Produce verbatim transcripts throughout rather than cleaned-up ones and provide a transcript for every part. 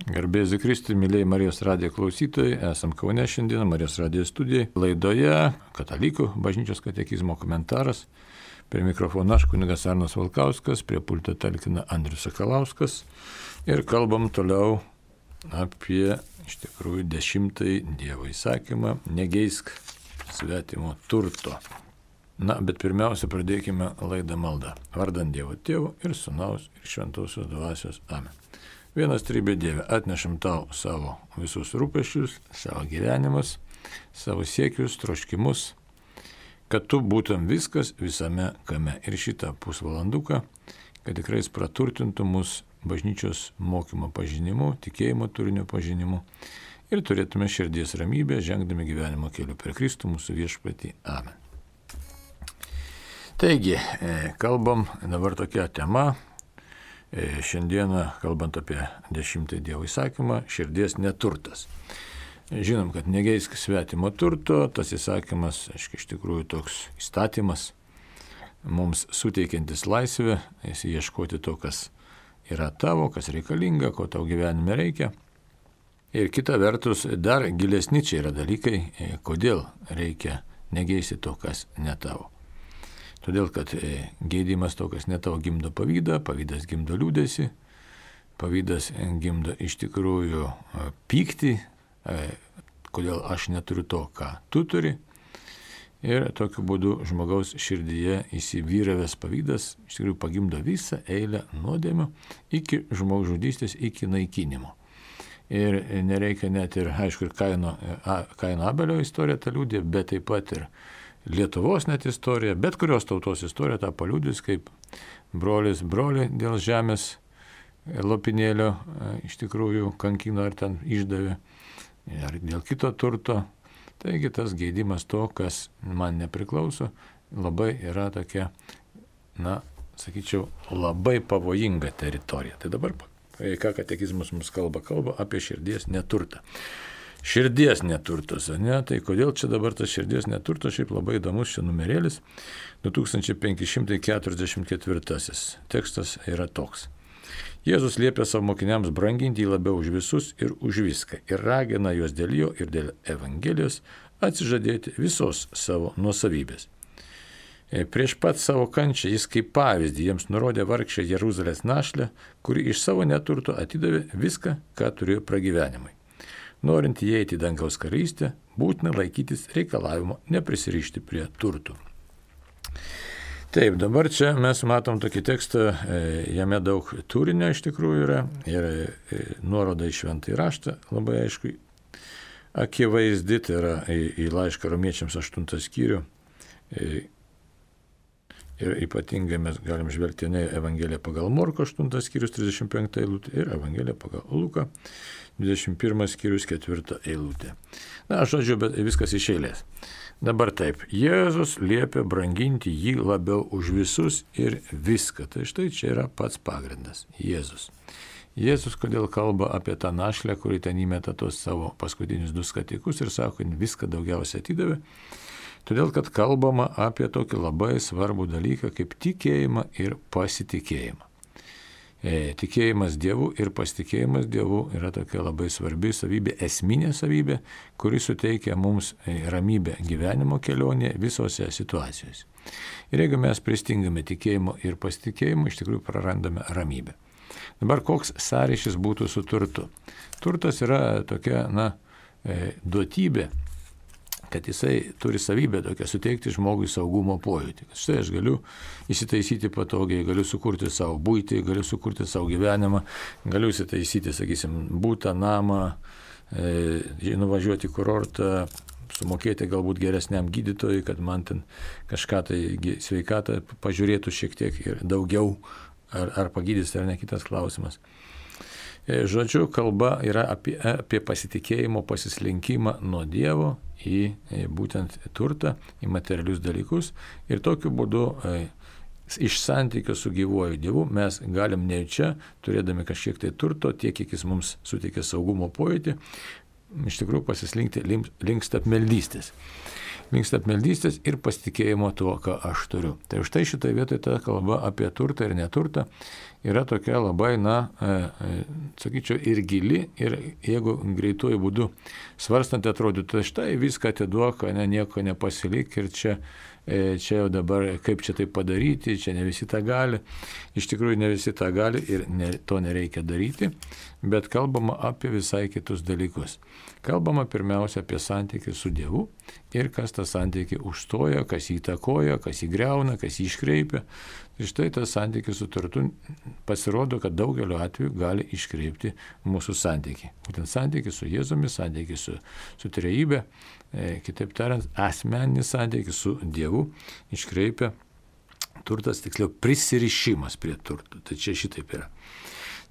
Garbėsiu Kristui, mėlyjei Marijos radijo klausytojai, esam Kaune šiandien, Marijos radijo studijai. Laidoje Katalikų bažnyčios katekizmo komentaras. Prie mikrofono aš, kunigas Arnas Valkauskas, prie pulto talkina Andrius Sakalauskas. Ir kalbam toliau apie, iš tikrųjų, dešimtąjį Dievo įsakymą - negeisk svetimo turto. Na, bet pirmiausia, pradėkime laidą maldą. Vardant Dievo Tėvo ir Sūnaus ir Šventosios Dvasios. Amen. Vienas trybė Dieve, atnešam tau savo visus rūpesčius, savo gyvenimus, savo siekius, troškimus, kad tu būtum viskas visame kame. Ir šitą pusvalanduką, kad tikrai jis praturtintų mus bažnyčios mokymo pažinimu, tikėjimo turinio pažinimu ir turėtume širdies ramybę, žengdami gyvenimo keliu per Kristų mūsų viešpatį. Amen. Taigi, kalbam dabar tokia tema. Šiandieną, kalbant apie dešimtąjį Dievo įsakymą, širdies neturtas. Žinom, kad negeisk svetimo turto, tas įsakymas, aiškiai, iš tikrųjų toks įstatymas, mums suteikiantis laisvę, ieškoti to, kas yra tavo, kas reikalinga, ko tau gyvenime reikia. Ir kita vertus, dar gilesni čia yra dalykai, kodėl reikia negeisti to, kas ne tavo. Todėl, kad gėdimas to, kas ne tavo, gimdo pavydą, pavydas gimdo liūdesį, pavydas gimdo iš tikrųjų pyktį, kodėl aš neturiu to, ką tu turi. Ir tokiu būdu žmogaus širdyje įsivyravęs pavydas iš tikrųjų pagimdo visą eilę nuodėmių iki žmogžudystės, iki naikinimo. Ir nereikia net ir, aišku, ir Kaino, Kaino Abelio istorija tą liūdė, bet taip pat ir Lietuvos net istorija, bet kurios tautos istorija tą paliudys, kaip brolis brolį dėl žemės lopinėlio iš tikrųjų kankino ar ten išdavė, ar dėl kito turto. Taigi tas geidimas to, kas man nepriklauso, labai yra tokia, na, sakyčiau, labai pavojinga teritorija. Tai dabar, ką katekizmas mums kalba, kalba apie širdies neturtą. Širdies neturtas, ne? Tai kodėl čia dabar tas širdies neturtas, šiaip labai įdomus čia numerėlis, du tūkstančiai penki šimtai keturiasdešimt ketvirtasis tekstas yra toks. Jėzus liepia savo mokiniams branginti jį labiau už visus ir už viską ir ragina juos dėl jo ir dėl Evangelijos atsižadėti visos savo nuosavybės. Prieš pat savo kančią jis kaip pavyzdį jiems nurodė vargšę Jeruzalės našlę, kuri iš savo neturto atidavė viską, ką turėjo pragyvenimui. Norint įeiti į dangaus karalystę, būtina laikytis reikalavimo neprisirišti prie turtų. Taip, dabar čia mes matom tokį tekstą, jame daug turinio iš tikrųjų yra ir nuoroda į šventąjį raštą, labai aišku, akivaizdi, tai yra į, į laišką romiečiams aštuntą skyrių. Ir ypatingai mes galim žvelgti ne Evangeliją pagal Morko aštuntas skyrius trisdešimt penktą eilutę ir Evangeliją pagal Luką dvidešimt pirmas skyrius ketvirtą eilutę. Na, žodžiu, bet viskas iš eilės. Dabar taip, Jėzus liepia branginti jį labiau už visus ir viską. Tai štai čia yra pats pagrindas. Jėzus. Jėzus kodėl kalba apie tą našlę, kuri ten įmeta tos savo paskutinius du skatikus ir sako, kad viską daugiausiai atidavė. Todėl, kad kalbama apie tokį labai svarbų dalyką kaip tikėjimą ir pasitikėjimą. E, tikėjimas Dievu ir pasitikėjimas Dievu yra tokia labai svarbi savybė, esminė savybė, kuri suteikia mums ramybę gyvenimo kelionėje visose situacijose. Ir jeigu mes pristingame tikėjimo ir pasitikėjimo, iš tikrųjų prarandame ramybę. Dabar koks sąryšis būtų su turtu? Turtas yra tokia, na, e, duotybė, kad jisai turi savybę tokią suteikti žmogui saugumo pojūtį. Štai aš galiu įsitaisyti patogiai, galiu sukurti savo būtį, galiu sukurti savo gyvenimą, galiu įsitaisyti, sakysim, būtą, namą, e, nuvažiuoti į kurortą, sumokėti galbūt geresniam gydytojui, kad man ten kažką tai sveikatą pažiūrėtų šiek tiek ir daugiau, ar, ar pagydys, ar ne, kitas klausimas. Žodžiu, kalba yra apie, apie pasitikėjimo pasislinkimą nuo Dievo į būtent turtą, į materialius dalykus. Ir tokiu būdu iš santykio su gyvuoju Dievu mes galim nejučia, turėdami kažkiek tai turto, tiek, kiek jis mums suteikia saugumo pojūtį, iš tikrųjų pasislinkti link stapmeldystės. Link stapmeldystės ir pasitikėjimo tuo, ką aš turiu. Tai už tai šitoje vietoje ta kalba apie turtą ir neturtą yra tokia labai, na, sakyčiau, ir gili, ir jeigu greituoju būdu svarstant atrodytų, tai štai viską atiduok, ne, nieko nepasilik ir čia čia jau dabar kaip čia tai padaryti, čia ne visi tą gali. Iš tikrųjų ne visi tą gali ir ne, to nereikia daryti, bet kalbama apie visai kitus dalykus. Kalbama pirmiausia apie santykį su Dievu ir kas tą santykį užstoja, kas jį įtakoja, kas jį griauna, kas jį iškreipia. Ir štai tas santykis su turtu pasirodo, kad daugeliu atveju gali iškreipti mūsų santykį. Būtent santykį su Jėzumi, santykį su, su trejybe, e, kitaip tariant, asmeninis santykis su Dievu iškreipia turtas, tiksliau prisirišimas prie turtų. Tai čia šitaip yra.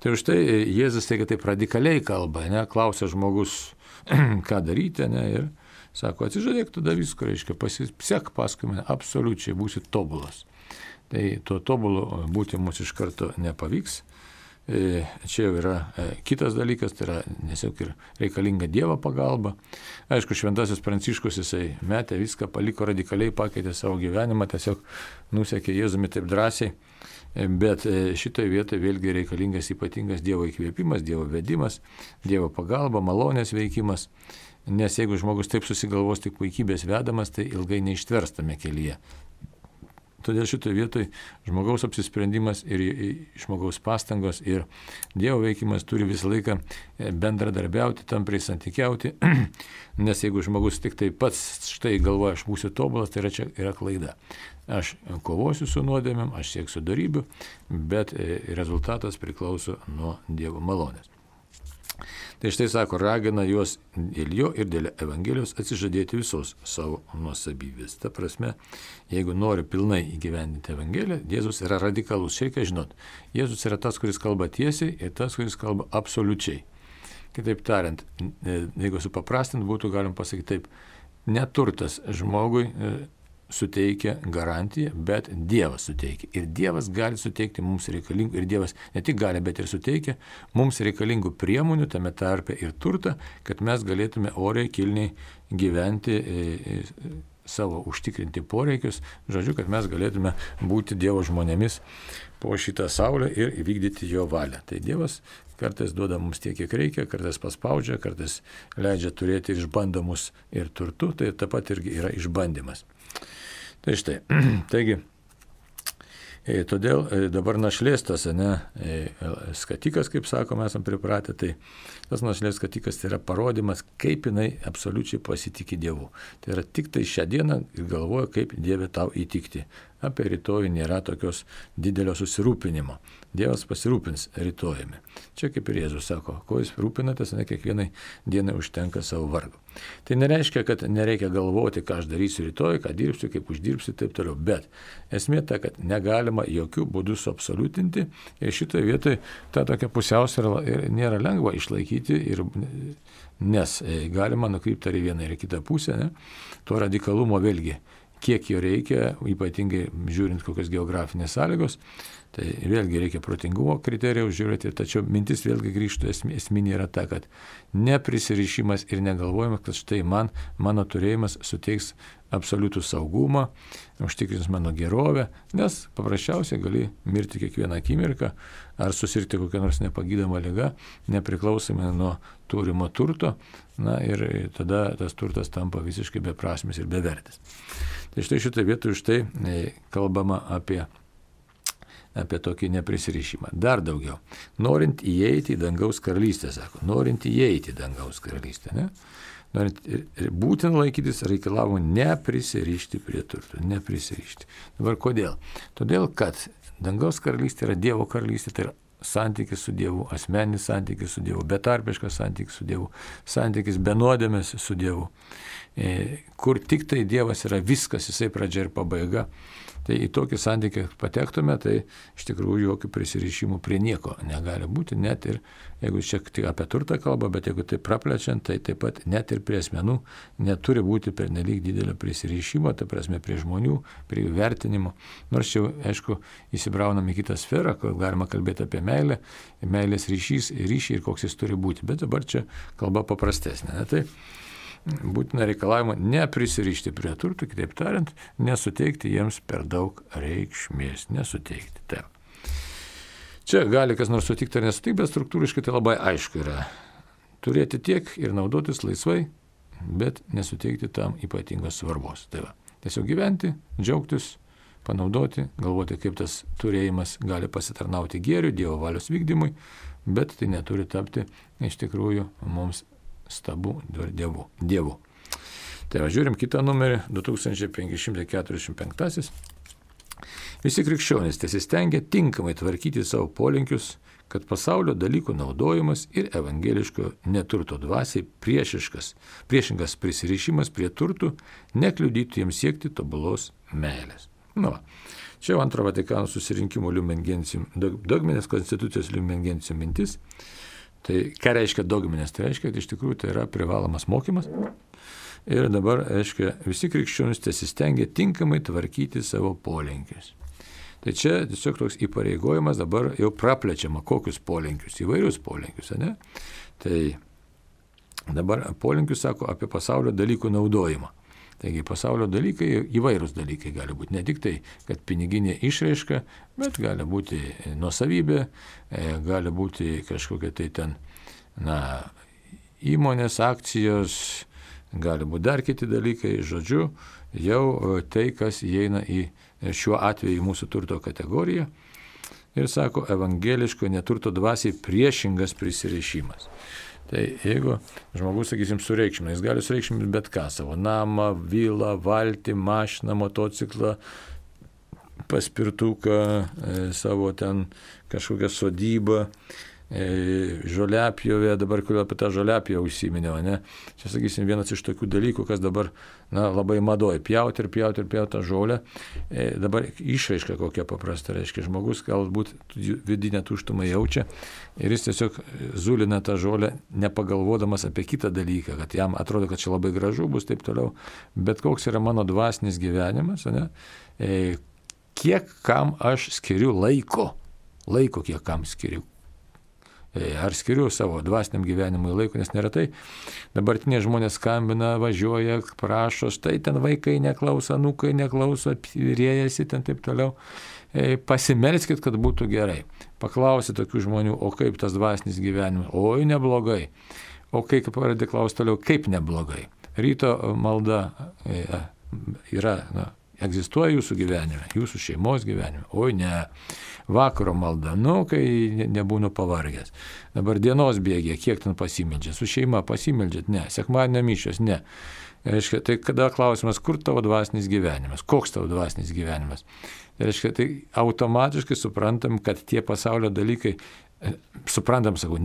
Tai už tai Jėzus tai, kad taip radikaliai kalba, ne, klausia žmogus, ką daryti, ne, ir sako, atsižadėk tada visko, reiškia, pasisek paskui mane, absoliučiai būsi tobulas. Tai to tobulo būti mums iš karto nepavyks. Čia jau yra kitas dalykas, tai yra tiesiog ir reikalinga Dievo pagalba. Aišku, šventasis Pranciškus jisai metė viską, paliko radikaliai, pakeitė savo gyvenimą, tiesiog nusekė Jėzumi taip drąsiai. Bet šitoje vietoje vėlgi reikalingas ypatingas Dievo įkvėpimas, Dievo vedimas, Dievo pagalba, malonės veikimas. Nes jeigu žmogus taip susigalvos tik puikybės vedamas, tai ilgai neištverstame kelyje. Todėl šitoje vietoje žmogaus apsisprendimas ir žmogaus pastangos ir Dievo veikimas turi visą laiką bendradarbiauti, tampriai santykiauti, nes jeigu žmogus tik tai pats štai galvoja, aš būsiu tobulas, tai yra čia yra klaida. Aš kovosiu su nuodėmėm, aš sieksiu darybių, bet rezultatas priklauso nuo Dievo malonės. Tai štai sako, ragina juos dėl jo ir dėl Evangelijos atsižadėti visos savo nuosavybės. Ta prasme, jeigu nori pilnai įgyvendinti Evangeliją, Jėzus yra radikalus. Čia reikia žinot, Jėzus yra tas, kuris kalba tiesiai ir tas, kuris kalba absoliučiai. Kitaip tariant, jeigu supaprastint būtų galim pasakyti taip, neturtas žmogui suteikia garantiją, bet Dievas suteikia. Ir Dievas gali suteikti mums reikalingų, ir Dievas ne tik gali, bet ir suteikia mums reikalingų priemonių, tame tarpe ir turtą, kad mes galėtume oriai, kilniai gyventi, e, e, savo užtikrinti poreikius, žodžiu, kad mes galėtume būti Dievo žmonėmis po šitą saulę ir vykdyti jo valią. Tai Dievas kartais duoda mums tiek, kiek reikia, kartais paspaudžia, kartais leidžia turėti išbandomus ir turtu, tai taip pat irgi yra išbandymas. Tai štai, taigi, e, todėl e, dabar našlės tas, ne, e, skatikas, kaip sakome, esam pripratę, tai tas našlės skatikas tai yra parodymas, kaip jinai absoliučiai pasitikė Dievu. Tai yra tik tai šią dieną ir galvoja, kaip Dieve tau įtikti. Apie rytojų nėra tokios didelio susirūpinimo. Dievas pasirūpins rytojumi. Čia kaip ir Jėzus sako, ko jūs rūpinatės, ne kiekvienai dienai užtenka savo vargo. Tai nereiškia, kad nereikia galvoti, ką aš darysiu rytoj, ką dirbsiu, kaip uždirbsiu ir taip toliau. Bet esmė ta, kad negalima jokių būdų suabsoliutinti ir šitoje vietoje ta tokia pusiausvyrą nėra lengva išlaikyti, ir, nes galima nukrypti ar į vieną ir į kitą pusę, ne? To radikalumo vėlgi kiek jo reikia, ypatingai žiūrint kokios geografinės sąlygos, tai vėlgi reikia protingumo kriterijaus žiūrėti, tačiau mintis vėlgi grįžtų, esminė yra ta, kad neprisirišimas ir negalvojimas, kad štai man, mano turėjimas suteiks absoliutų saugumą, užtikrins mano gerovę, nes paprasčiausiai gali mirti kiekvieną akimirką ar susirgti kokią nors nepagydomą ligą, nepriklausomai nuo turimo turto, na ir tada tas turtas tampa visiškai beprasmis ir bevertis. Tai štai šitoje vietoje štai kalbama apie, apie tokį neprisirišimą. Dar daugiau. Norint įeiti į dangaus karalystę, sako, norint įeiti į dangaus karalystę, ne? Norint, būtent laikytis reikalavimo neprisirišti prie turtų, neprisirišti. Dabar kodėl? Todėl, kad dangaus karalystė yra Dievo karalystė, tai yra santykis su Dievu, asmeninis santykis su Dievu, betarpiškas santykis su Dievu, santykis be nuodėmės su Dievu, kur tik tai Dievas yra viskas, jisai pradžia ir pabaiga. Tai į tokį santykį patektume, tai iš tikrųjų jokių prisirišimų prie nieko negali būti, net ir, jeigu čia tik apie turtą kalba, bet jeigu tai praplečiant, tai taip pat net ir prie asmenų neturi būti pernelyg didelio prisirišimo, tai prasme prie žmonių, prie jų vertinimo. Nors čia, aišku, įsibraunam į kitą sferą, kur galima kalbėti apie meilę, meilės ryšys, ryšį ir koks jis turi būti, bet dabar čia kalba paprastesnė. Ne? Tai būtina reikalavimo neprisirišti prie turtų, kitaip tariant, nesuteikti jiems per daug reikšmės, nesuteikti. Taip. Čia gali kas nors sutikti ar nesutikti, bet struktūriškai tai labai aišku yra. Turėti tiek ir naudotis laisvai, bet nesuteikti tam ypatingos svarbos. Tai va, tiesiog gyventi, džiaugtis, panaudoti, galvoti, kaip tas turėjimas gali pasitarnauti gėriui, Dievo valios vykdymui, bet tai neturi tapti iš tikrųjų mums stabu dievu. dievu. Tai va, žiūrim kitą numerį, du tūkstančiai penki šimtai keturiasdešimt penktasis. Visi krikščionys tesistengia tinkamai tvarkyti savo polinkius, kad pasaulio dalykų naudojimas ir evangeliško neturto dvasiai priešiškas, priešingas prisirišimas prie turtų nekliudytų jiems siekti tobulos meilės. Nu, čia jau antro Vatikano susirinkimo Lumen Gentium, dogminės konstitucijos Lumen Gentium mintis. Tai ką reiškia dogminės? Tai reiškia, kad iš tikrųjų tai yra privalomas mokymas. Ir dabar, reiškia, visi krikščionys tesistengia tinkamai tvarkyti savo polinkius. Tai čia tiesiog toks įpareigojimas dabar jau praplečiama, kokius polinkius, įvairius polinkius, ne? Tai dabar polinkius sako apie pasaulio dalykų naudojimą. Taigi pasaulio dalykai, įvairūs dalykai gali būti, ne tik tai, kad piniginė išraiška, bet gali būti nuosavybė, gali būti kažkokia tai ten, na, įmonės, akcijos, gali būti dar kiti dalykai, žodžiu, jau tai, kas įeina į šiuo atveju mūsų turto kategoriją ir sako evangeliško neturto dvasiai priešingas prisirišimas. Tai jeigu žmogus, sakysim, sureikšmina, jis gali sureikšminti bet ką, savo namą, vilą, valtį, mašiną, motociklą, paspirtuką, savo ten kažkokią sodybą, žoliapjovė, dabar kuriuo apie tą žoliapjovę užsiminiau, ne? Čia, sakysim, vienas iš tokių dalykų, kas dabar, na, labai madoja, pjauti ir pjauti ir pjauti tą žolę. E, dabar išraiška kokia paprasta, reiškia, žmogus galbūt vidinę tuštumą jaučia ir jis tiesiog zulina tą žolę, nepagalvodamas apie kitą dalyką, kad jam atrodo, kad čia labai gražu bus, taip toliau. Bet koks yra mano dvasinis gyvenimas, ne? E, kiek kam aš skiriu laiko, laiko kiek kam skiriu. Ar skiriu savo dvasiniam gyvenimui laiko, nes neretai dabartiniai žmonės skambina, važiuoja, prašo, štai ten vaikai neklauso, anūkai neklauso, rėjasi ten taip toliau. Pasimelskit, kad būtų gerai. Paklausi tokių žmonių, o kaip tas dvasinis gyvenimas? Oi, neblogai. O kai pradedi klausti toliau, kaip neblogai? Ryto malda yra, na, egzistuoja jūsų gyvenime, jūsų šeimos gyvenime. Oi, ne. Vakaro malda, nu, kai nebūnu pavargęs. Dabar dienos bėgė, kiek ten pasimeldžiat? Su šeima pasimeldžiat? Ne. Sekmadienio mišios? Ne. Reiškia, tai kada klausimas, kur tavo dvasinis gyvenimas? Koks tavo dvasinis gyvenimas? Tai reiškia, tai automatiškai suprantam, kad tie pasaulio dalykai, suprantam, sakau,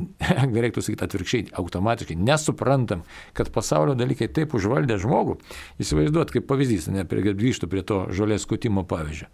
reiktų sakyti atvirkščiai, automatiškai nesuprantam, kad pasaulio dalykai taip užvaldė žmogų. Įsivaizduot, kaip pavyzdys, ne, grįžtų prie to žolės skutimo pavyzdžio.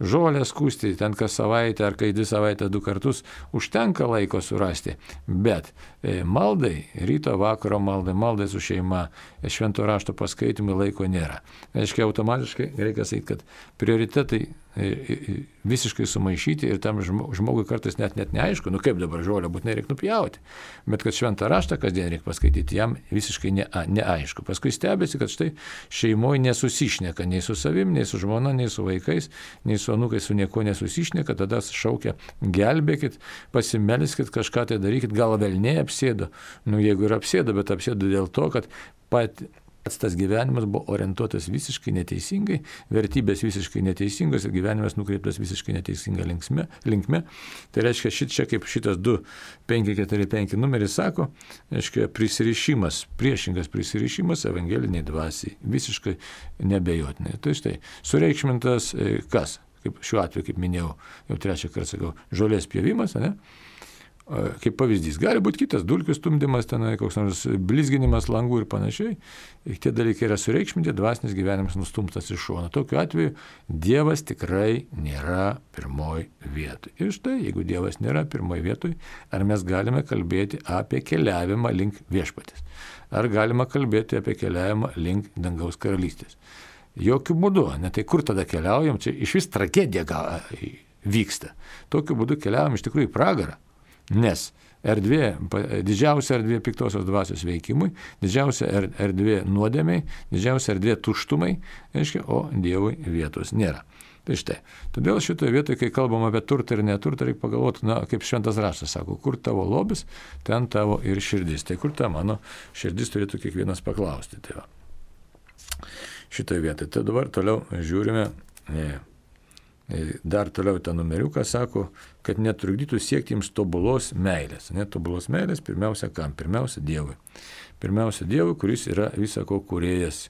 Žolės skusti ten kas savaitę ar kai dvi savaitę du kartus užtenka laiko surasti, bet e, maldai, ryto vakaro maldai, maldai su šeima, švento rašto paskaitimui laiko nėra. Reiškia, automatiškai reikia sakyti, kad prioritetai visiškai sumaišyti ir tam žmogui kartais net, net neaišku, nu kaip dabar žolę būtinai reikia nupjauti, bet kad šventą raštą kasdien reikia paskaityti, jam visiškai ne, neaišku. Paskui stebėsi, kad štai šeimoje nesusišneka nei su savim, nei su žmona, nei su vaikais, nei su anūkais, su nieko nesusišneka, tada šaukia, gelbėkit, pasimelskit, kažką tai darykit, gal velniai apsėdo, nu jeigu ir apsėdo, bet apsėdo dėl to, kad pat tas gyvenimas buvo orientuotas visiškai neteisingai, vertybės visiškai neteisingos ir gyvenimas nukreiptas visiškai neteisinga linksme, linkme. Tai reiškia, šit čia kaip šitas du penki keturi penki numeris sako, reiškia, prisirišimas, priešingas prisirišimas evangeliniai dvasiai, visiškai nebejotinai. Tai štai, sureikšmintas kas? Kaip šiuo atveju, kaip minėjau, jau trečią kartą sakau, žolės pjovimas, ne? Kaip pavyzdys. Gali būti kitas, dulkių stumdymas, tenai, koks nors blizginimas langų ir panašiai. Ir tie dalykai yra sureikšminti, dvasinis gyvenimas nustumtas iš šono. Tokiu atveju Dievas tikrai nėra pirmoj vietoj. Ir štai, jeigu Dievas nėra pirmoj vietoj, ar mes galime kalbėti apie keliavimą link viešpatės? Ar galima kalbėti apie keliavimą link dangaus karalystės? Jokių būdų. Ne, tai kur tada keliaujam? Čia iš vis tragedija vyksta. Tokiu būdu keliaujam iš tikrųjų į pragarą. Nes erdvė, didžiausia erdvė piktosios dvasios veikimui, didžiausia erdvė nuodėmiai, didžiausia erdvė tuštumai, reiškia, o Dievui vietos nėra. Tai štai, todėl šitoje vietoje, kai kalbam apie turtą ir neturtą, reikia pagalvoti, na, kaip šventas raštas sako, kur tavo lobis, ten tavo ir širdis. Tai kur ta mano širdis turėtų kiekvienas paklausti. Tai va. Šitoje vietoje. Tai dabar toliau žiūrime, dar toliau tą numeriuką sako, kad netrukdytų siekti jums tobulos meilės. Netobulos meilės pirmiausia kam? Pirmiausia Dievui. Pirmiausia Dievui, kuris yra visako kūrėjas.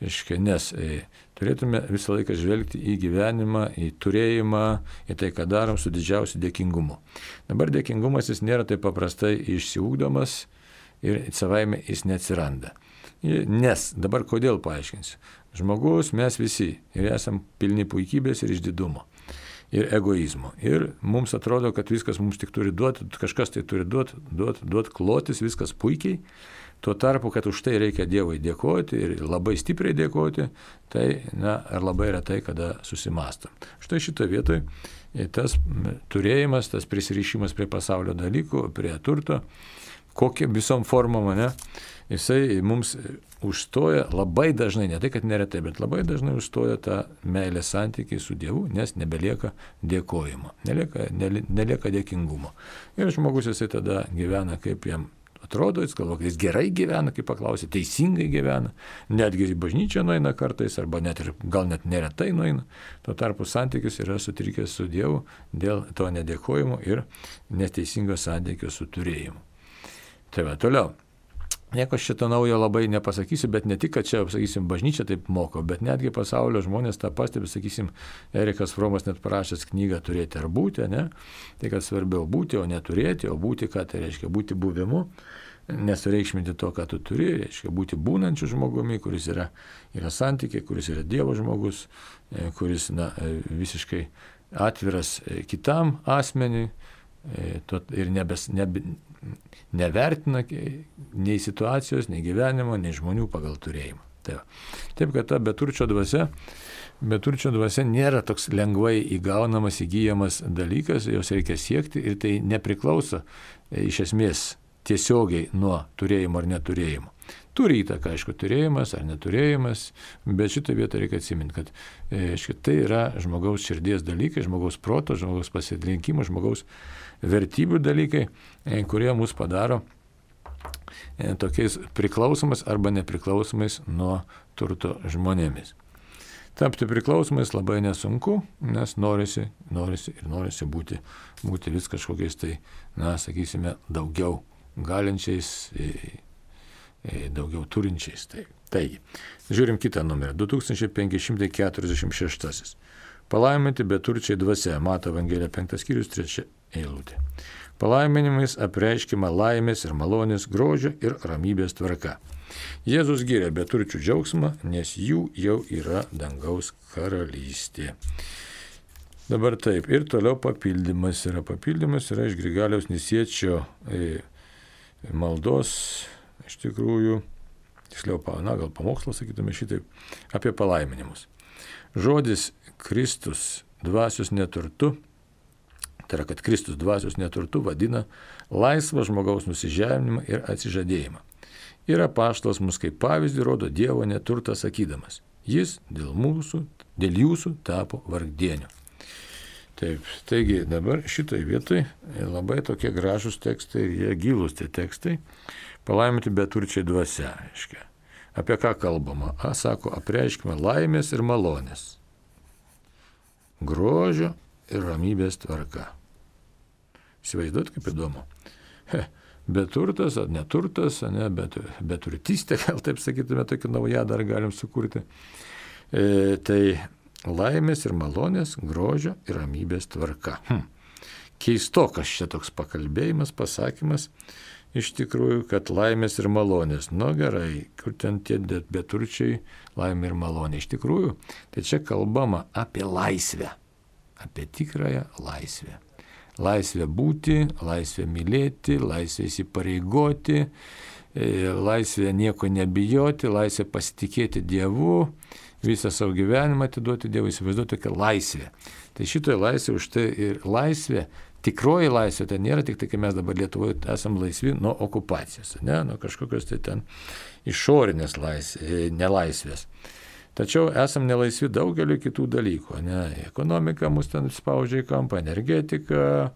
Nes e, turėtume visą laiką žvelgti į gyvenimą, į turėjimą, į tai, ką darom su didžiausiu dėkingumu. Dabar dėkingumas jis nėra taip paprastai išsiugdomas ir savaime jis neatsiranda. Nes, dabar kodėl paaiškinsiu. Žmogus mes visi ir esam pilni puikybės ir išdidumo. Ir egoizmo. Ir mums atrodo, kad viskas mums tik turi duoti, kažkas tai turi duoti, duoti, duoti klotis, viskas puikiai. Tuo tarpu, kad už tai reikia Dievui dėkoti ir labai stipriai dėkoti, tai na, ar labai retai kada susimastom. Štai šitoje vietoje tas turėjimas, tas prisirišimas prie pasaulio dalykų, prie turto, kokia visom formom, ne, jisai mums užstoja labai dažnai, ne tai, kad neretai, bet labai dažnai užstoja tą meilės santykį su Dievu, nes nebelieka dėkojimo, nelieka, nelieka dėkingumo. Ir žmogus jisai tada gyvena kaip jam atrodo, jis galvo, kad jis gerai gyvena, kaip paklausė, teisingai gyvena, netgi į bažnyčią nueina kartais, arba net ir gal net neretai nueina. Tuo tarpu santykis yra sutrikęs su Dievu dėl to nedėkojimo ir neteisingo santykio su turėjimu. Tai va, toliau. Nieko šito naujo labai nepasakysiu, bet ne tik, kad čia, sakysim, bažnyčia taip moko, bet netgi pasaulio žmonės tą pastebi, sakysim, Erikas Fromas net parašęs knygą Turėti ar būti, ne? Tai, kad svarbiau būti, o neturėti, o būti, ką tai reiškia būti buvimu, nesureikšminti to, ką tu turi, reiškia būti būnančiu žmogumi, kuris yra, yra santykiai, kuris yra Dievo žmogus, kuris na, visiškai atviras kitam asmeniui ir nebes, nebe, nevertina nei situacijos, nei gyvenimo, nei žmonių pagal turėjimą. Taip, Taip kad ta beturčio dvasia, beturčio dvasia nėra toks lengvai įgaunamas, įgyjamas dalykas, jos reikia siekti ir tai nepriklauso iš esmės tiesiogiai nuo turėjimo ar neturėjimo. Turi įtaką, aišku, turėjimas ar neturėjimas, bet šitą vietą reikia atsiminti, kad aišku, tai yra žmogaus širdies dalykai, žmogaus proto, žmogaus pasirinkimo, žmogaus vertybių dalykai, kurie mus padaro tokiais priklausomais arba nepriklausomais nuo turto žmonėmis. Tapti priklausomais labai nesunku, nes norisi, norisi ir norisi būti, būti vis kažkokiais tai, na, sakysime, daugiau galinčiais, daugiau turinčiais. Tai, taigi, žiūrim kitą numerį, du tūkstančiai penki šimtai keturiasdešimt šeštasis. Palaiminti beturčiai dvasia, Mato Evangelija penktas skyrius, trečia eilutė. Palaiminimais apreiškima laimės ir malonės, grožio ir ramybės tvarka. Jėzus giria beturčių džiaugsmą, nes jų jau yra dangaus karalystė. Dabar taip, ir toliau papildymas yra. Papildymas yra iš Grigaliaus Nisiečio e, maldos, iš tikrųjų, tiksliau, na, gal pamokslas, sakytume šitaip, apie palaiminimus. Žodis Kristus dvasios neturtu, tai yra, kad Kristus dvasios neturtu vadina laisvą žmogaus nusižeminimą ir atsižadėjimą. Ir apaštalas mus kaip pavyzdį rodo Dievo neturtą sakydamas, jis dėl mūsų, dėl jūsų tapo vargdieniu. Taip, taigi dabar šitoj vietoj labai tokie gražūs tekstai ir jie gilūs tie tekstai, palaiminti beturčiai dvasia, aiškia. Apie ką kalbama? A, sako, apreiškime laimės ir malonės, grožio ir ramybės tvarka. Įsivaizduot, kaip įdomu. He, beturtas ar neturtas, ne, bet, beturtystė, gal taip sakytume, tokį naują dar galim sukurti. E, tai laimės ir malonės, grožio ir ramybės tvarka. Hm. Keistokas čia toks pakalbėjimas, pasakymas, iš tikrųjų, kad laimės ir malonės. Nu gerai, kur ten tie beturčiai laimė ir malonė. Iš tikrųjų, tai čia kalbama apie laisvę, apie tikrąją laisvę. Laisvę būti, laisvę mylėti, laisvę įsipareigoti, laisvę nieko nebijoti, laisvę pasitikėti Dievu, visą savo gyvenimą atiduoti Dievui, įsivaizduoti tokią laisvę. Tai šitoje laisvė už tai ir laisvė, tikroji laisvė, tai nėra tik tai, kai mes dabar Lietuvoje esam laisvi nuo okupacijos, ne, nuo kažkokios tai ten išorinės laisvės, nelaisvės. Tačiau esam nelaisvi daugeliu kitų dalykų. Ne? Ekonomika mus ten spaudžia į kampą, energetika,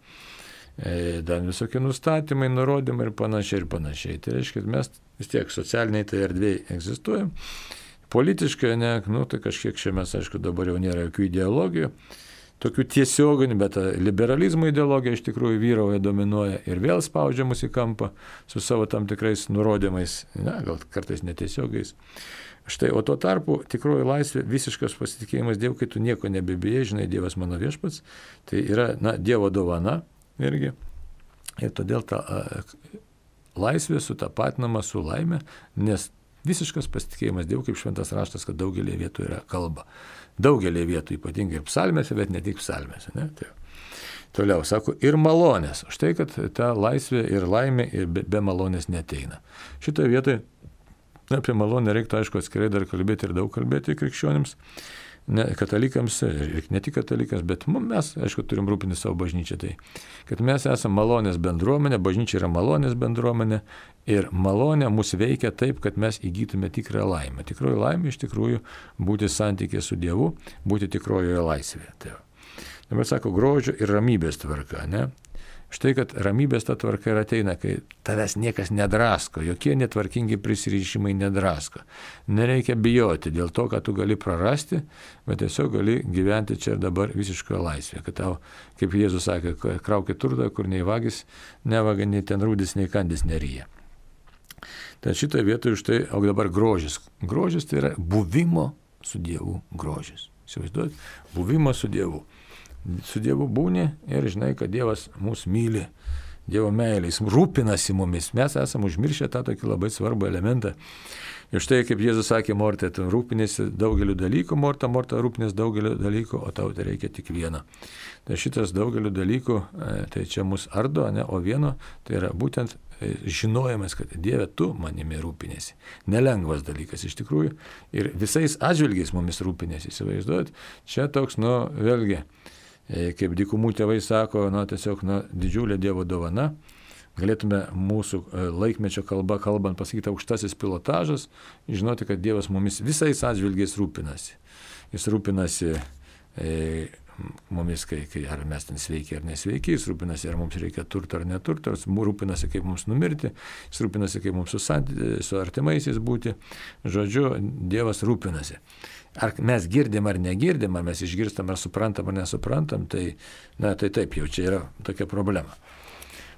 dar visokie nustatymai, nurodymai ir panašiai ir panašiai. Tai reiškia, kad mes vis tiek socialiniai tai erdvėje egzistuojam. Politiškai, ne, nu, tai kažkiek čia mes, aišku, dabar jau nėra jokių ideologijų, tokių tiesioginių, bet liberalizmo ideologija iš tikrųjų vyrauja, dominuoja ir vėl spaudžia mus į kampą su savo tam tikrais nurodymais, na, gal kartais netiesiogiais. Štai, o tuo tarpu tikroji laisvė, visiškas pasitikėjimas Dievu, kai tu nieko nebebijai, žinai, Dievas mano viešpats, tai yra, na, Dievo dovana irgi. Ir todėl ta a, laisvė sutapatinama su laime, nes visiškas pasitikėjimas Dievu, kaip šventas raštas, kad daugelį vietų yra kalba. Daugelį vietų, ypatingai ir psalmėse, bet ne tik psalmėse. Ne? Tai, toliau, sako, ir malonės. Štai, kad ta laisvė ir laimė ir be, be malonės neteina. Šitoje vietoje apie malonę reiktų, aišku, atskirai dar kalbėti ir daug kalbėti krikščionims, ne, katalikams, ir ne tik katalikams, bet mes, aišku, turim rūpinti savo bažnyčią. Tai, kad mes esame malonės bendruomenė, bažnyčia yra malonės bendruomenė ir malonė mus veikia taip, kad mes įgytume tikrą laimę. Tikroji laimė iš tikrųjų būti santykė su Dievu, būti tikrojoje laisvėje. Tai dabar sako, grožio ir ramybės tvarka, ne? Štai, kad ramybės ta tvarka ir ateina, kai tavęs niekas nedrasko, jokie netvarkingi prisirišimai nedrasko. Nereikia bijoti dėl to, kad tu gali prarasti, bet tiesiog gali gyventi čia ir dabar visiškoje laisvėje. Kad tau, kaip Jėzus sakė, kraukit turtą, kur nei vagis nevagia, nei ten rūdis, nei kandis neryja. Tai šitoje vietoje štai, o dabar grožis. Grožis tai yra buvimo su Dievu grožis. Įsivaizduojat? Buvimo su Dievu. Su Dievu būni ir žinai, kad Dievas mūsų myli, Dievo meilė, jis rūpinasi mumis. Mes esame užmiršę tą tokį labai svarbų elementą. Ir štai, kaip Jėzus sakė, Morta, tu rūpinėsi daugeliu dalykų, Morta, Morta rūpinės daugeliu dalykų, o tau tai reikia tik vieno. Tai šitas daugeliu dalykų, tai čia mus ardo, ne, o vieno, tai yra būtent žinojimas, kad Dieve, tu manimi rūpinėsi. Nelengvas dalykas iš tikrųjų. Ir visais atžvilgiais mumis rūpinėsi, įsivaizduojat. Čia toks, nu, vėlgi, kaip dykumų tėvai sako, na, tiesiog na, didžiulė Dievo dovana. Galėtume mūsų laikmečio kalba kalbant pasakyti aukštasis pilotažas, žinoti, kad Dievas mumis visais atžvilgiais rūpinasi. Jis rūpinasi e, mumis, kai, kai ar mes ten sveiki ar nesveiki, jis rūpinasi, ar mums reikia turto ar neturto, jis rūpinasi, kaip mums numirti, jis rūpinasi, kaip mums su, su artimaisiais būti. Žodžiu, Dievas rūpinasi. Ar mes girdim ar negirdim, ar mes išgirstam ar suprantam ar nesuprantam, tai, na, tai taip, jau čia yra tokia problema.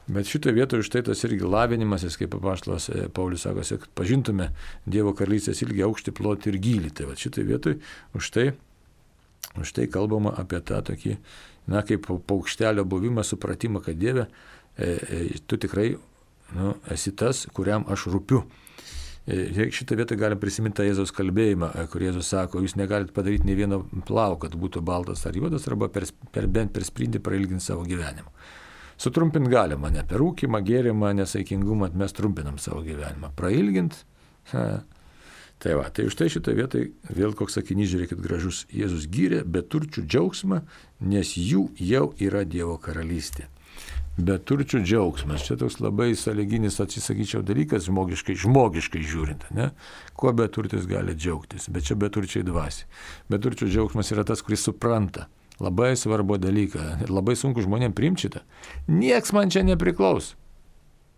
Bet šitoje vietoje už tai tas irgi lavinimasis, kaip apaštalas Paulius sako, kad pažintume Dievo karalystės ilgį, aukštį, plotį ir gylį. Tai va šitoje vietoje už tai, už tai kalbama apie tą tokį, na, kaip paukštelio buvimą, supratimą, kad Dieve, e, e, tu tikrai, nu, esi tas, kuriam aš rūpiu. Šitą vietą galim prisiminti Jėzaus kalbėjimą, kur Jėzus sako, jūs negalite padaryti nei vieno plauko, kad būtų baltas ar juodas, arba per, per, bent per sprindį prailginti savo gyvenimą. Sutrumpinti galima, ne per rūkimą, gėrimą, nesaikingumą, mes trumpinam savo gyvenimą. Prailginti, ha. Tai va, tai už tai šitą vietą vėl koks sakinys, žiūrėkit, gražus. Jėzus gyrė beturčių džiaugsmą, nes jų jau yra Dievo karalystė. Beturčių džiaugsmas. Čia toks labai sąlyginis, atsisakyčiau, dalykas, žmogiškai, žmogiškai žiūrint. Ne? Kuo beturtis gali džiaugtis, bet čia beturčiai dvasi. Beturčių džiaugsmas yra tas, kuris supranta labai svarbu dalyką. Labai sunku žmonėms priimti šitą. Nieks man čia nepriklauso,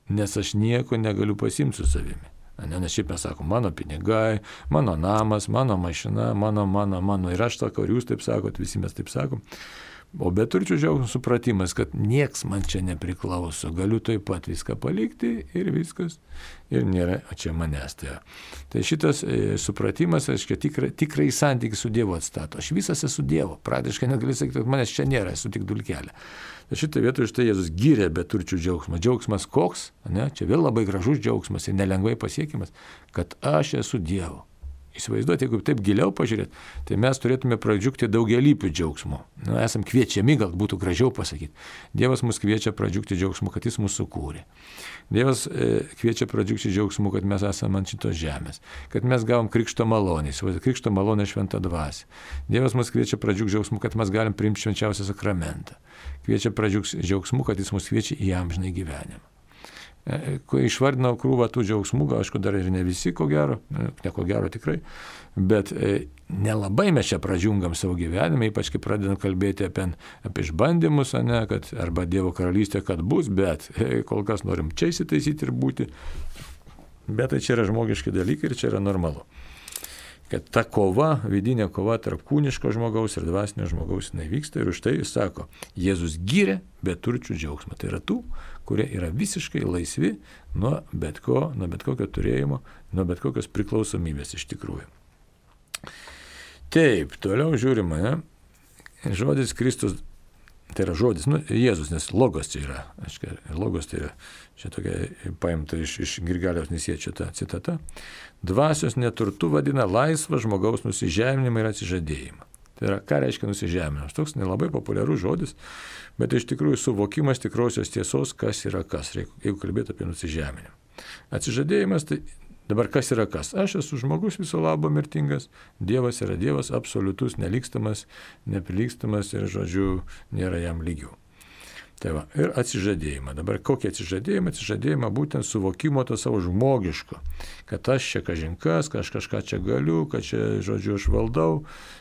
nes aš nieko negaliu pasimti su savimi. Ne, nes šiaip mes sakom, mano pinigai, mano namas, mano mašina, mano, mano, mano. Ir aš sakau, ir jūs taip sakot, visi mes taip sakom. O beturčių džiaugsmas supratimas, kad nieks man čia nepriklauso, galiu taip pat viską palikti ir viskas, ir nėra čia manęs. Tai, tai šitas e, supratimas, aiškiai, tikrai, tikrai santykį su Dievu atstato. Aš visas esu Dievo, praktiškai negali sakyti, kad manęs čia nėra, esu tik dulkelė. Tai šitą vietą štai Jėzus gyrė beturčių džiaugsmą. Džiaugsmas koks, ne? Čia vėl labai gražus džiaugsmas ir nelengvai pasiekimas, kad aš esu Dievo. Įsivaizduoti, jeigu taip giliau pažiūrėt, tai mes turėtume pradžiugti daugelypių džiaugsmų. Nu, esam kviečiami, gal būtų gražiau pasakyti. Dievas mus kviečia pradžiugti džiaugsmu, kad jis mūsų sukūrė. Dievas e, kviečia pradžiugti džiaugsmu, kad mes esame ant šitos žemės, kad mes gavom krikšto malonę, krikšto malonę šventą dvasią. Dievas mus kviečia pradžiugti džiaugsmu, kad mes galim priimti švenčiausią sakramentą. Kviečia pradžiugti džiaugsmu, kad jis mus kviečia į amžinąjį gyvenimą. kai išvardinau krūvą tų džiaugsmų, gal aišku dar ir ne visi, ko gero, ne ko gero tikrai, bet nelabai mes čia pradžiungam savo gyvenime, ypač kai pradedam kalbėti apie, apie išbandymus, ne, kad, arba Dievo karalystė, kad bus, bet kol kas norim čia įsitaisyti ir būti, bet tai čia yra žmogiški dalykai ir čia yra normalu. Kad ta kova, vidinė kova tarp kūniško žmogaus ir dvasinio žmogaus nevyksta ir už tai jis sako, Jėzus gyrė beturčių džiaugsmą. Tai yra tų, kurie yra visiškai laisvi nuo bet ko, nuo bet kokio turėjimo, nuo bet kokios priklausomybės iš tikrųjų. Taip, toliau žiūrima, ne? Žodis Kristus, tai yra žodis, nu, Jėzus, nes logos čia yra, aiškia, logos tai yra, čia tokia paimta iš, iš Grigaliaus Nisiečio ta citata, dvasios neturtu vadina laisvą žmogaus nusižeminimą ir atsižadėjimą. Tai yra, ką reiškia nusižeminimas? Toks nelabai populiarus žodis, bet iš tikrųjų suvokimas tikrosios tiesos, kas yra kas, jeigu kalbėtų apie nusižeminimą. Atsižadėjimas, tai dabar kas yra kas? Aš esu žmogus viso labo mirtingas, Dievas yra Dievas, absoliutus, nelikstamas, neprilygstamas ir, žodžiu, nėra jam lygių. Tai va, ir atsižadėjimą. Dabar kokį atsižadėjimą? Atsižadėjimą būtent suvokimo to savo žmogiško, kad aš čia kažinkas, kad aš kažką čia galiu, kad čia, žodžiu, aš valdau,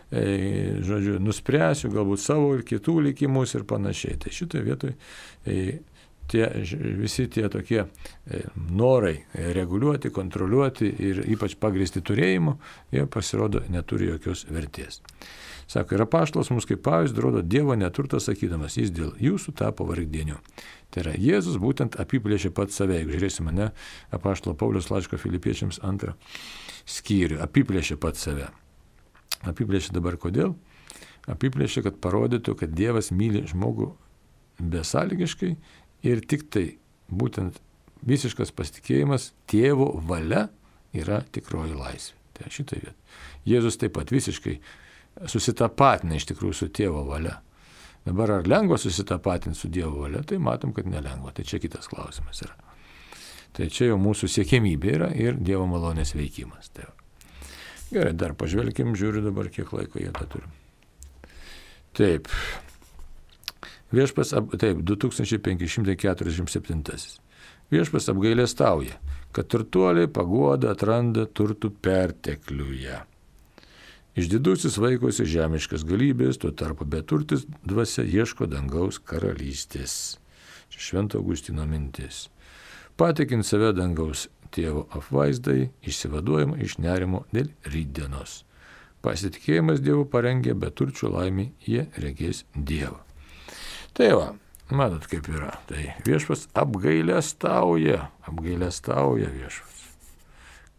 e, žodžiu, nuspręsiu galbūt savo ir kitų likimus ir panašiai. Tai šitoje vietoje e, tie, visi tie tokie e, norai reguliuoti, kontroliuoti ir ypač pagrįsti turėjimu, jie pasirodo neturi jokios vertės. Sako, ir apaštalas mums kaip pavyzdį rodo Dievo neturtą sakydamas, jis dėl jūsų tapo vargdieniu. Tai yra, Jėzus būtent apiplėšė pats save, jeigu žiūrėsime, ne, apaštalo Pauliaus laiško Filipiečiams antrą skyrių, apiplėšė pats save. Apiplėšė dabar kodėl? Apiplėšė, kad parodytų, kad Dievas myli žmogų besąlygiškai ir tik tai būtent visiškas pasitikėjimas tėvo valia yra tikroji laisvė. Tai šitą vietą. Jėzus taip pat visiškai susitapatina iš tikrųjų su tėvo valia. Dabar ar lengva susitapatinti su Dievo valia, tai matom, kad nelengva. Tai čia kitas klausimas yra. Tai čia jau mūsų siekėmybė yra ir Dievo malonės veikimas. Tai gerai, dar pažvelkim, žiūriu dabar, kiek laiko jie tą turim. Taip. Viešpas, taip, du tūkstančiai penki šimtai keturiasdešimt septintasis. Viešpas apgailestauja, kad turtuoliai paguodą atranda turtų pertekliuje. Išdidusis vaikosi žemiškas galybės, tuo tarpu beturtis dvasia ieško dangaus karalystės. Čia Švento Augustino mintis. Patikint save dangaus tėvo apvaizdai, išsivaduojama iš nerimo dėl rytdienos. Pasitikėjimas Dievu parengia beturčių laimį, jie regės Dievą. Tai va, matot kaip yra. Tai viešpas apgailestauja, apgailestauja viešpas,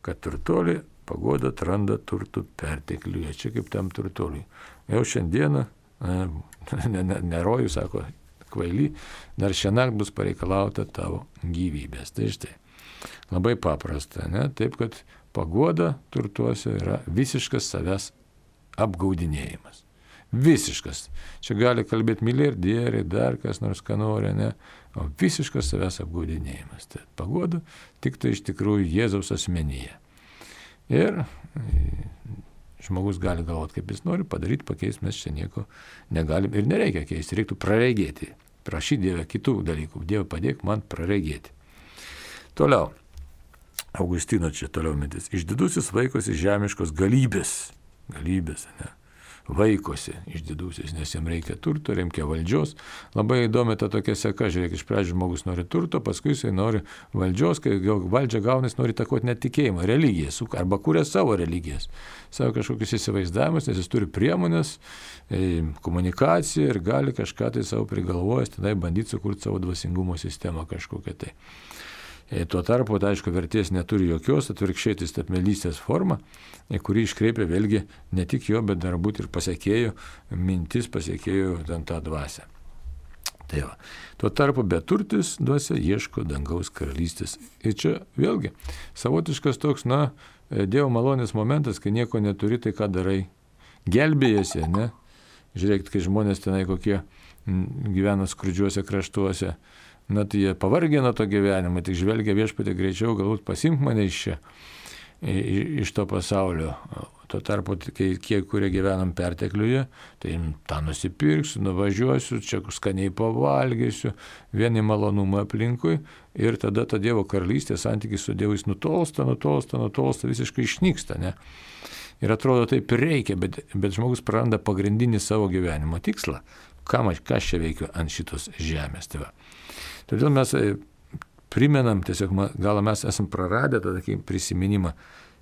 kad turtuoliai paguoda atranda turtų pertekliuje. Čia kaip tam turtuoliui. Jau šiandieną, ne, ne, ne rojų, sako, kvaily, dar šiąnakt bus pareikalauta tavo gyvybės. Tai štai, labai paprasta, ne? Taip, kad paguoda turtuose yra visiškas savęs apgaudinėjimas. Visiškas. Čia gali kalbėti milijardieriai, dar kas nors ką nori, ne? O visiškas savęs apgaudinėjimas. Tai paguoda tik tai iš tikrųjų Jėzaus asmenyje. Ir žmogus gali galvoti, kaip jis nori padaryti, pakeisti, mes čia nieko negalim ir nereikia keisti, reiktų praregėti. Prašyti Dievę kitų dalykų. Dieve padėk man praregėti. Toliau. Augustino čia toliau mintis. Išdidusis vaikosi žemiškos galybės. Galybės, ne? Vaikosi išdidusis, nes jam reikia turto, reikia valdžios. Labai įdomi ta tokia seka, žiūrėk, iš pradžių žmogus nori turto, paskui jisai nori valdžios, kai valdžia gaunasi, nori takoti net tikėjimą, religiją, arba kuria savo religijas, savo kažkokius įsivaizdavimus, nes jis turi priemonės, komunikaciją ir gali kažką tai savo prigalvojęs, tada bandyti sukurti savo dvasingumo sistemą kažkokią tai. Tuo tarpu, tai aišku, vertės neturi jokios, atvirkščiai tai statmelystės forma, kuri iškreipia vėlgi ne tik jo, bet dar būt ir pasiekėjų, mintis pasiekėjų ten tą dvasią. Tai va. Tuo tarpu beturtis dvasia ieško dangaus karalystės. Ir čia vėlgi savotiškas toks, na, Dievo malonės momentas, kai nieko neturi, tai ką darai? Gelbėjasi, ne? Žiūrėkit, kai žmonės tenai kokie gyvena skurdžiuose kraštuose, na tai jie pavargė nuo to gyvenimo, tik žvelgia viešpatį greičiau, galbūt pasimk mane iš čia, iš to pasaulio. Tuo tarpu, kai kiek kurie gyvenam pertekliuje, tai tą nusipirksiu, nuvažiuosiu, čia skaniai pavalgysiu, vieni malonumą aplinkui ir tada ta Dievo karalystė, santykis su Dievu jis nutolsta, nutolsta, nutolsta, visiškai išnyksta. Ne? Ir atrodo taip ir reikia, bet, bet žmogus praranda pagrindinį savo gyvenimo tikslą. Ką aš čia veikiu ant šitos žemės. Tai va. Todėl mes primenam, tiesiog gal mes esam praradę tą tokį prisiminimą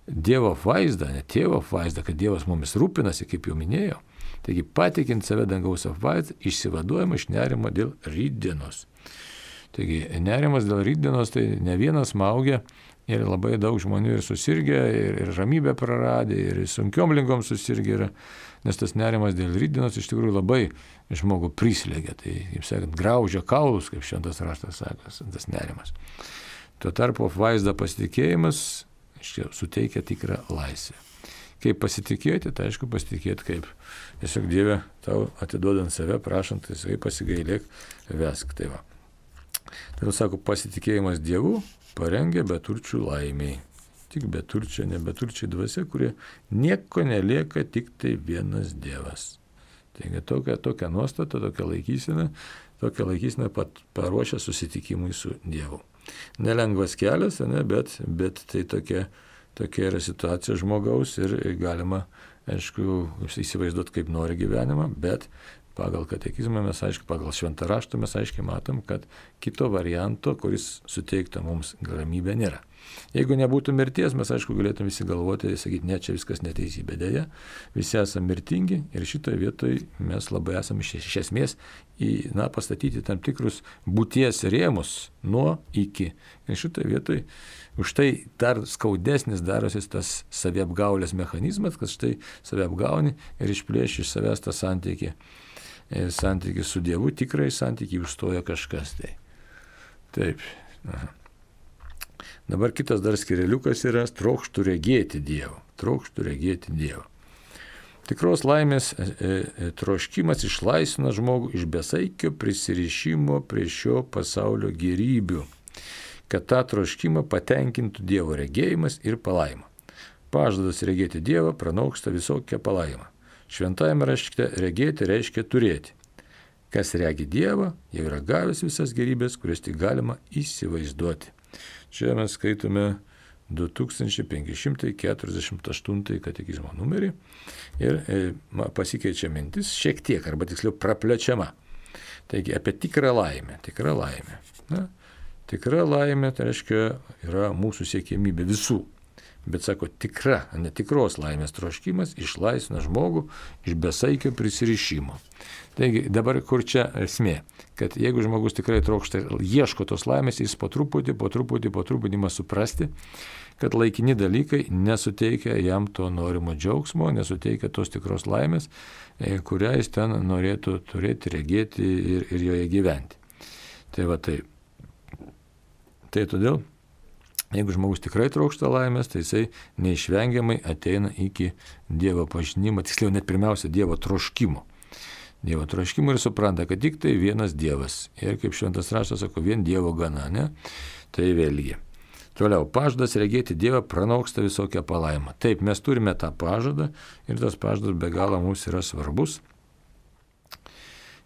Dievo vaizdą, ne tėvo vaizdą, kad Dievas mumis rūpinasi, kaip jau minėjau. Taigi patikint save dangaus apvaizdą, išsivaduojama iš nerimo dėl rytdienos. Taigi nerimas dėl rytdienos tai ne vienas smaugia ir labai daug žmonių ir susirgę, ir, ir ramybę praradę, ir sunkiom lygom susirgę yra, nes tas nerimas dėl rytdienos iš tikrųjų labai žmogų prislėgia. Tai, kaip sakant, graužia kaulus, kaip šventas raštas sako, tas nerimas. Tuo tarpu apvaizda pasitikėjimas suteikia tikrą laisvę. Kaip pasitikėti, tai aišku pasitikėti kaip tiesiog Dieve tau atiduodant save, prašant, tai pasigailėk, vesk. Tai va. Tai sako, pasitikėjimas Dievu parengia beturčių laimiai. Tik beturčia, ne beturčiai dvasia, kurie nieko nelieka, tik tai vienas Dievas. Taigi tokia, tokia nuostata, tokia laikysena, tokia laikysena pat paruošia susitikimui su Dievu. Nelengvas kelias, ne, bet, bet tai tokia, tokia yra situacija žmogaus ir galima, aišku, įsivaizduoti, kaip nori gyvenimą, bet pagal katekizmą mes, aišku, pagal šventą raštą mes aiškiai matom, kad kito varianto, kuris suteiktų mums ramybę, nėra. Jeigu nebūtų mirties, mes, aišku, galėtume visi galvoti, sakyti, ne, čia viskas neteisybė. Deja, visi esame mirtingi ir šitoje vietoje mes labai esame iš, iš esmės į, na, pastatyti tam tikrus būties rėmus nuo iki. Ir šitoje vietoje už tai dar skaudesnis darosi tas saviapgaulės mechanizmas, kad štai saviapgauni ir išplėši iš savęs tą santykį. Santykį su Dievu, tikrai santykį užstoja kažkas. Tai. Taip. Aha. Dabar kitas dar skireliukas yra trokštų regėti Dievą. Trokštų regėti Dievą. Tikros laimės e, e, troškimas išlaisvina žmogų iš besaikio prisirišimo prie šio pasaulio gėrybių, kad tą troškimą patenkintų Dievo regėjimas ir palaima. Pažadas regėti Dievą pranoksta visokią palaimą. Šventajame rašte regėti reiškia turėti. Kas regi Dievą, jau yra gavęs visas gėrybės, kurias tik galima įsivaizduoti. Čia mes skaitome du tūkstančiai penki šimtai keturiasdešimt aštuntąjį katekizmo numerį ir e, pasikeičia mintis šiek tiek, arba tiksliau praplečiama. Taigi apie tikrą laimę. Tikrą laimę. Na, tikra laimė, tai reiškia, yra mūsų siekiamybė visų. Bet sako, tikra, netikros laimės troškimas išlaisvina žmogų iš besaikio prisirišimo. Taigi dabar kur čia esmė, kad jeigu žmogus tikrai trokšta ir ieško tos laimės, jis po truputį, po truputį, po truputį ima suprasti, kad laikini dalykai nesuteikia jam to norimo džiaugsmo, nesuteikia tos tikros laimės, kurią jis ten norėtų turėti, regėti ir, ir joje gyventi. Tai va taip. Tai todėl, jeigu žmogus tikrai trokšta laimės, tai jisai neišvengiamai ateina iki Dievo pažinimo, tiksliau net pirmiausia Dievo troškimo. Dievo troškimo ir supranta, kad tik tai vienas Dievas. Ir kaip šventas raštas sako, vien Dievo gana, ne? Tai vėlgi. Toliau, pažadas regėti Dievą pranoksta visokią palaimą. Taip, mes turime tą pažadą ir tas pažadas be galo mums yra svarbus.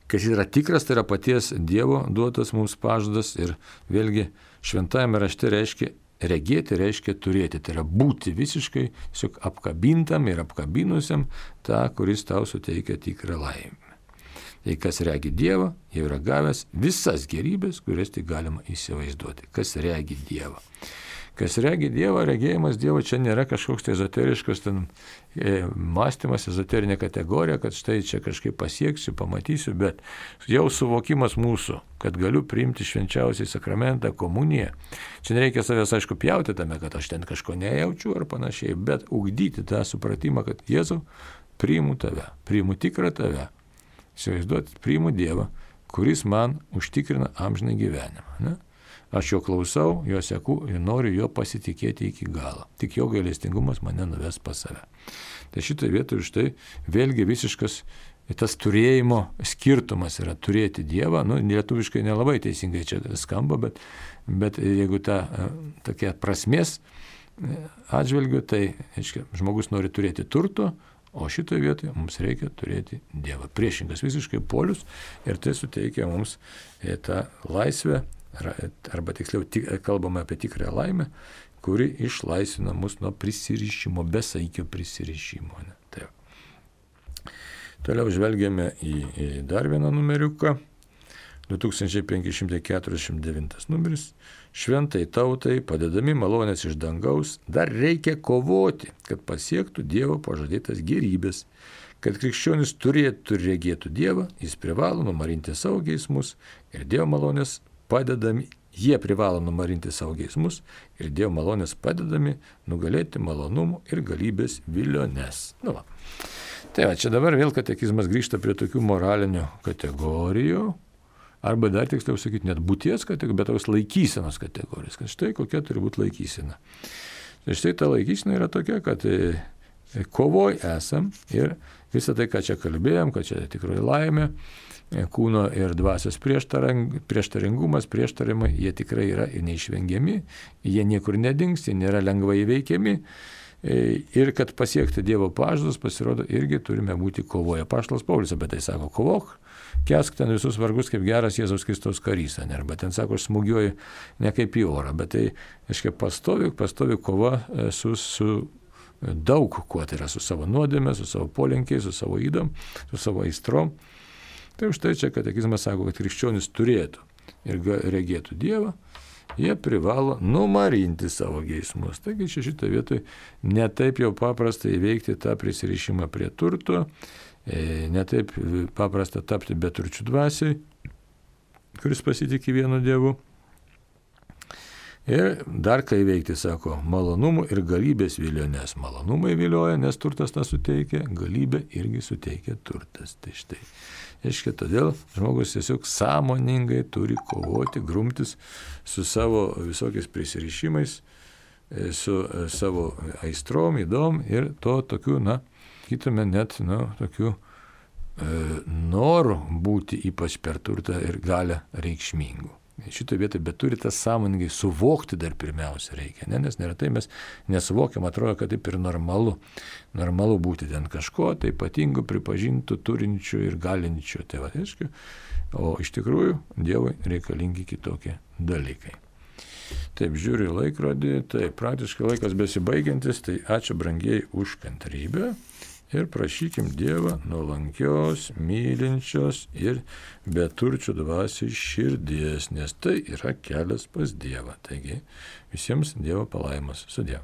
Kas yra tikras, tai yra paties Dievo duotas mums pažadas ir vėlgi šventajame rašte reiškia regėti, reiškia turėti. Tai yra būti visiškai tiesiog apkabintam ir apkabinusiam tą, kuris tau suteikia tikrą laimę. Tai kas regi Dievą, jau yra gavęs visas gėrybės, kurias tik galima įsivaizduoti. Kas regi Dievą. Kas regi Dievą, regėjimas Dievo čia nėra kažkoks tai ezoteriškas ten, e, mąstymas, ezoterinė kategorija, kad štai čia kažkaip pasieksiu, pamatysiu, bet jau suvokimas mūsų, kad galiu priimti švenčiausiai sakramentą, komuniją. Čia nereikia savęs, aišku, pjauti tame, kad aš ten kažko nejaučiu ar panašiai, bet ugdyti tą supratimą, kad Jėzau, priimu tave, priimu tikrą tave. Įsivaizduoti, priimu Dievą, kuris man užtikrina amžinai gyvenimą. Ne? Aš jo klausau, jo seku ir noriu jo pasitikėti iki galo. Tik jo gailestingumas mane nuves pas save. Tai šitoje vietoje štai vėlgi visiškas tas turėjimo skirtumas yra turėti Dievą. Nu, lietuviškai nelabai teisingai čia skamba, bet, bet jeigu ta tokia prasmės atžvilgiu, tai aiškia, žmogus nori turėti turto, o šitoje vietoje mums reikia turėti Dievą. Priešingas visiškai polius ir tai suteikia mums tą laisvę, arba tiksliau kalbame apie tikrą laimę, kuri išlaisvina mus nuo prisirišimo, besaikio prisirišimo. Ne? Tai. Toliau žvelgiame į, į dar vieną numeriuką. du tūkstančiai penki šimtai keturiasdešimt devintas numeris. Šventai tautai, padedami malonės iš dangaus, dar reikia kovoti, kad pasiektų Dievo pažadėtas gėrybės. Kad krikščionis turėtų ir regėtų Dievą, jis privalo numarinti savo geismus ir Dievo malonės padedami, jie privalo numarinti savo geismus ir Dievo malonės padedami nugalėti malonumų ir galybės viliones. Nu va. Tai va, čia dabar vėl katekizmas grįžta prie tokių moralinių kategorijų, arba dar tiksliau sakyti, net būties kategorijos, bet tos laikysenos kategorijos, kad štai kokia turi būti laikysena. Tai štai ta laikysena yra tokia, kad kovoj esam ir visą tai, ką čia kalbėjom, kad čia tikrai laimė, kūno ir dvasios prieštaringumas, prieštarimai, jie tikrai yra neišvengiami, jie niekur nedings, jie nėra lengvai įveikiami. Ir kad pasiekti Dievo pažadus, pasirodo, irgi turime būti kovoje. Apaštalas Paulius apie tai sako, kovok, kesk ten visus vargus kaip geras Jėzaus Kristaus karys. Arba ten sako, aš smūgiuoju ne kaip į orą, bet tai, aiškiai, pastovi, pastovi kova su, su daug kuo, tai yra su savo nuodėme, su savo polinkiais, su savo ydom, su savo aistrom. Tai už tai čia katekizmas sako, kad krikščionis turėtų ir regėtų Dievą, jie privalo numarinti savo geismus. Taigi čia šitą vietoj netaip jau paprasta įveikti tą prisirišimą prie turto, netaip paprasta tapti beturčių dvasiai, kuris pasitikė vienu Dievu. Ir dar ką įveikti, sako, malonumų ir galybės viliones. Malonumai vilioja, nes turtas tą suteikia, galybė irgi suteikia turtas. Tai štai. Aiškiai, todėl žmogus tiesiog sąmoningai turi kovoti, grumtis su savo visokiais prisirišimais, su savo aistrom, įdom ir to tokiu, na, kitame net, na, tokiu e, noru būti ypač per turtą ir galę reikšmingų. Šitoje vietoje, bet turi tas sąmoningai suvokti dar pirmiausia reikia, ne? Nes neretai mes nesuvokiam, atrodo, kad taip ir normalu. Normalu būti ten kažko, tai ypatingo, pripažintų, turinčių ir galinčių. Tai va, aiškiai, o iš tikrųjų Dievui reikalingi kitokie dalykai. Taip, žiūriu į laikrodį, tai praktiškai laikas besibaigiantis, tai ačiū brangiai už kantrybę. Ir prašykim Dievą nuolankios, mylinčios ir beturčių dvasiai širdies, nes tai yra kelias pas Dievą. Taigi visiems Dievo palaimas. Sudie.